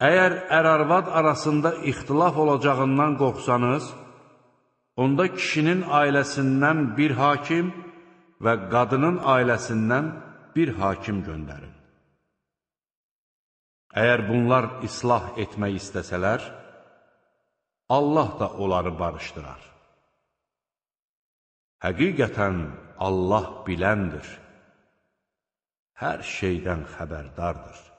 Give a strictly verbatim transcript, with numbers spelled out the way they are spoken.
Əgər ər-arvad arasında ixtilaf olacağından qorxsanız, onda kişinin ailəsindən bir hakim və qadının ailəsindən bir hakim göndərin. Əgər bunlar islah etmək istəsələr, Allah da onları barışdırar. Həqiqətən Allah biləndir, hər şeydən xəbərdardır.